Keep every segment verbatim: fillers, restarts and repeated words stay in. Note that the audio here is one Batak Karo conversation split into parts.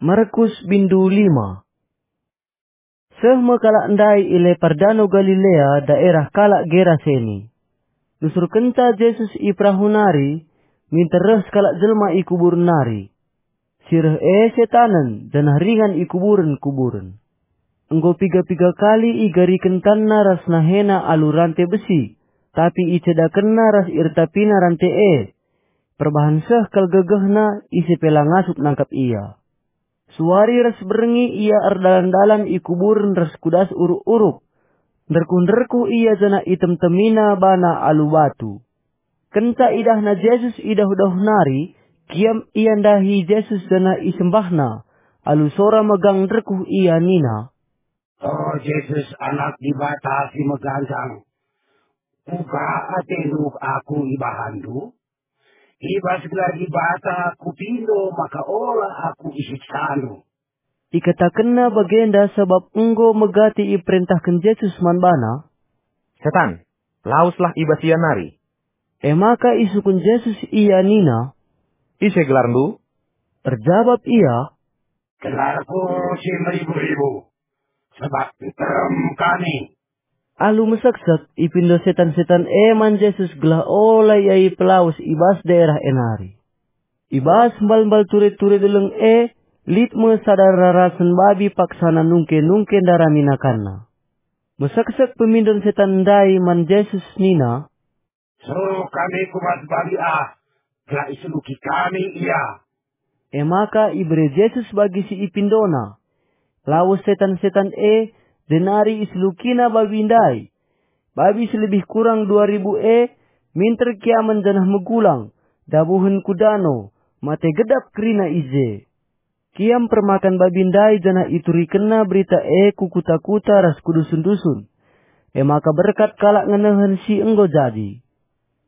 Markus bindu lima. Seh me kalak ndai i lepar Dano Galilea, daerah kalak Geraseni. Nusurkenca Jesus i perahu nari, minter reh sekalak jelma i kuburen nari. Si reh e setanen, janah ringan i kuburen-kuburen. Enggo piga-piga kali igariken tanna ras nahena alu rante besi, tapi icedakenna ras irtapina rante e. Perbahan seh kal gegehna, ise pe la ngasup nangkap ia. Suari ras berngi ia erdalan-dalan i kuburen ras ku das uruk-uruk. Nderkuh-nderkuh ia janah itemtemina bana alu batu. Kenca idahna Jesus i dauh-dauh nari, kiam ia ndahi Jesus janah isembahna. Alu sora megang nderkuh ia nina, "O Jesus, Anak Dibata si meganjang, kuga atendu aku ibahanndu? I bas gelar Dibata kupindo maka ola aku isiksandu." Ikatakenna bagenda sabap enggo megati iperentahken Jesus man bana. "Setan, laweslah i bas ia nari." E maka isungkun Jesus ia nina, "Ise gelarndu?" Erjabap ia, "Gelarku si meribu-ribu, sebab nterem kami." Alu meseksek, ipindo setan-setan e man Jesus gelah ola ia ipelawes i bas daerah e nari. I bas mbal-mbal ture-ture deleng e, lit me sada rarasen babi paksana nungke-nungke ndarami nakanna. Meseksek pemindon setan ndai man Jesus nina, "Suruh kami ku bas babi ah, gelah iseluki kami ia." E maka ibere Jesus bagi si ipindona. Lawes setan-setan e, jenari iselukina babi ndai. Babi si lebih kurang dua ribu e minter kiamen janah megulang, dabuhen ku dano, mate gedap kerina i je. Kiam permakan babi ndai janah iturikenna berita e ku kuta-kuta ras ku dusun-dusun. E maka berkat kalak ngenehen si enggo jadi.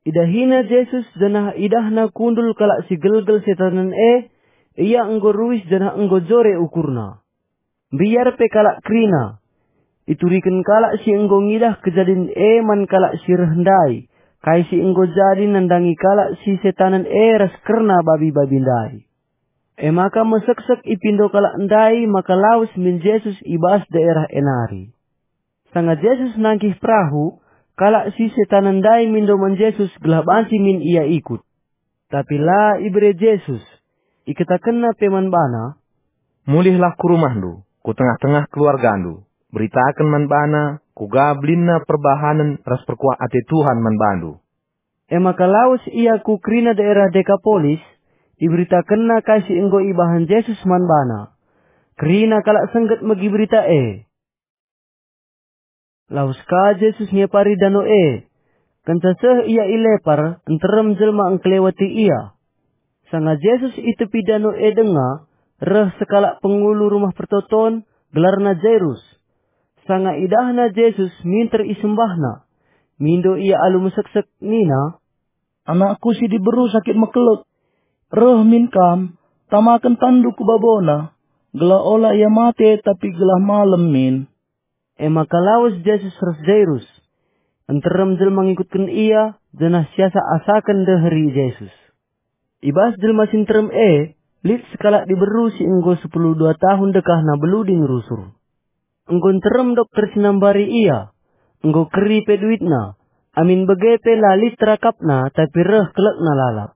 Idahina Jesus janah idahna kundul kalak si gelgel setanen e, ia enggo ruis janah enggo jore ukurna. Mbiar pe kalak kerina. Ituriken kalak si enggo ngidah kejadin e man kalak si reh ndai, kai si enggo jadi nandangi kalak si setanen e ras kerna babi-babi ndai. E maka meseksek ipindo kalak ndai maka lawes min Jesus i bas daerah e nari. Sanga Jesus nangkih perahu, kalak si setanen ndai mindo man Jesus gelah banci min ia ikut. Tapi la ibere Jesus. Ikatakenna pe man bana, "Mulihlah ku rumahndu, ku tengah-tengah keluargandu, beritaken man bana kuga belinna perbahanen ras perkuah ate Tuhan man bandu." E maka lawes ia ku kerina daerah Dekapolis, iberitakenna kai si enggo ibahan Jesus man bana. Kerina kalak sengget megi berita e. Lawes ka Jesus ngepari dano e. Kenca seh ia i lepar, nterem jelma engkeleweti ia. Sanga Jesus i tepi dano e denga, reh sekalak pengulu Rumah Pertoton, gelarna Jairus. Sanga idahna Jesus minter isembahna, mindo ia alu meseksek nina, "Anakku si diberu sakit mekelek. Reh min kam, tamaken tanndu ku babona, gelah ola ia mate tapi gelah malem min." E maka lawes Jesus ras Jairus. Nterem jelma ngikutken ia, janah siasak-asaken ndeheri Jesus. I bas jelma si nterem e, lit sekalak diberu si enggo sepuluh dua tahun dekahna beluding rusur. Enggo nterem dokter si nambari ia, enggo keri pe duitna, amin bage pe la lit terakapna tapi reh kelekna lalap.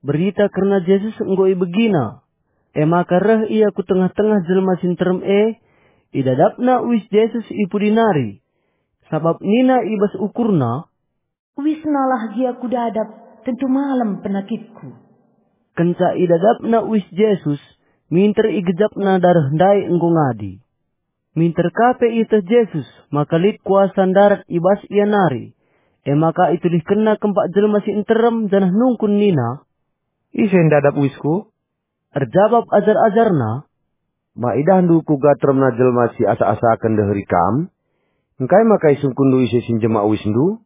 Berita kerna Jesus enggo ibegina. E maka reh ia ku tengah-tengah jelma si nterem e, idadapna uis Jesus i pudi nari. Sabap nina i bas ukurna, "Uisnalah gia kudadap, tentu malem penakitku." Kenca idadapna uis Jesus, minter igejapna dareh ndai enggo ngadi. Minter ka pe ieteh Jesus maka lit kuasa ndarat i bas ia nari, e maka itulihkenna kempak jelma si nterem janah nungkun nina, "Ise ndadap uisku?" Erjabap ajar-ajarNa, "Ma idahndu kuga teremna jelma si asak-asaken ndeheri Kam? Engkai maka isungkunndu ise si njema uisndu?"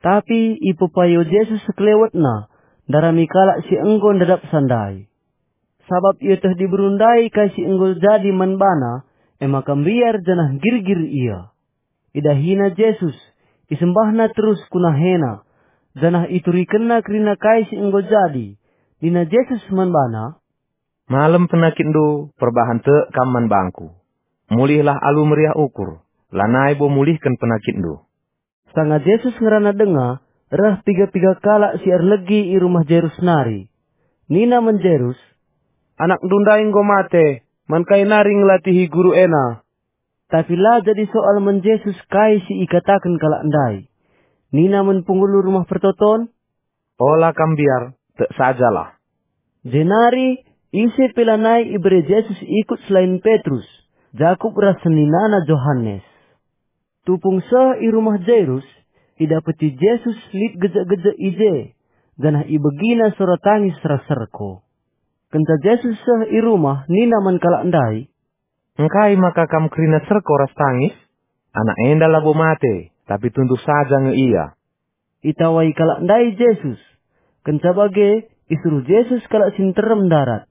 Tapi ipepayo Jesus sekelewetna, ndarami kalak si enggo ndadapsa ndai. Sabap ieteh diberu ndai kai si enggo jadi man bana, e maka mbiar janah nggirgir ia. Idahina Jesus, isembahna terus ku nahena, janah iturikenna kerina kai si enggo jadi. Nina Jesus man bana, "Malem penakitndu, perbahan tek kam man bangku. Mulihlah alu meriah ukur, lanai bo mulihken penakitndu." Sanga Jesus ngerana denga, reh piga-piga kalak si erlegi i rumah Jairus nari. Nina man Jairus, "Anakndu ndai enggo mate, man kai nari ngelatihi guru ena?" Tapi la jadi soal man Jesus kai si ikataken kalak ndai. Nina man penghulu rumah pertoton, "Ola kam mbiar, tek sajalah." Jenari ise pe lanai ibere Jesus ikut selain Petrus, Jakup ras seninana Johanes. Tupung seh i rumah Jairus, idapeti Jesus lit gejek-gejek i je, janah ibegina sora tangis ras serko. Kenca Jesus seh i rumah nina man kalak ndai, "Engkai maka kam kerina serko ras tangis? Anak enda labo mate, tapi tunduh saja nge ia." Itawai kalak ndai Jesus. Kenca bage, isuruh Jesus kalak si nterem ndarat.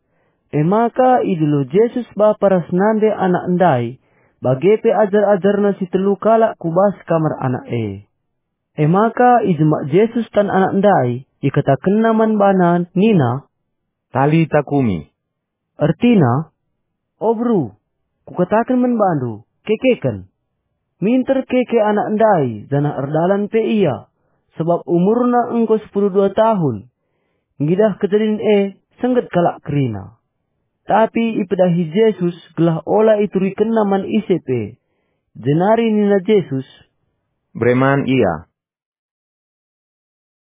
E maka idilo Jesus bapa ras nande anak ndai, bage pe ajar-ajarNa si telu kalak ku bas kamar anak e. E maka ijemak Jesus tan anak ndai, ikatakenNa man bana nina, "Talita kumi." Ertina, "O beru, kukataken man bandu, kekeken." Minter keke anak ndai, janah erdalan pe ia, sabap umurna enggo sepuluh dua tahun. Ngidah kejadin e, sengget kalak kerina. Tapi ipedahi Jesus gelah ola iturikenna man ise pe. Jenari nina Jesus, "Bere man ia."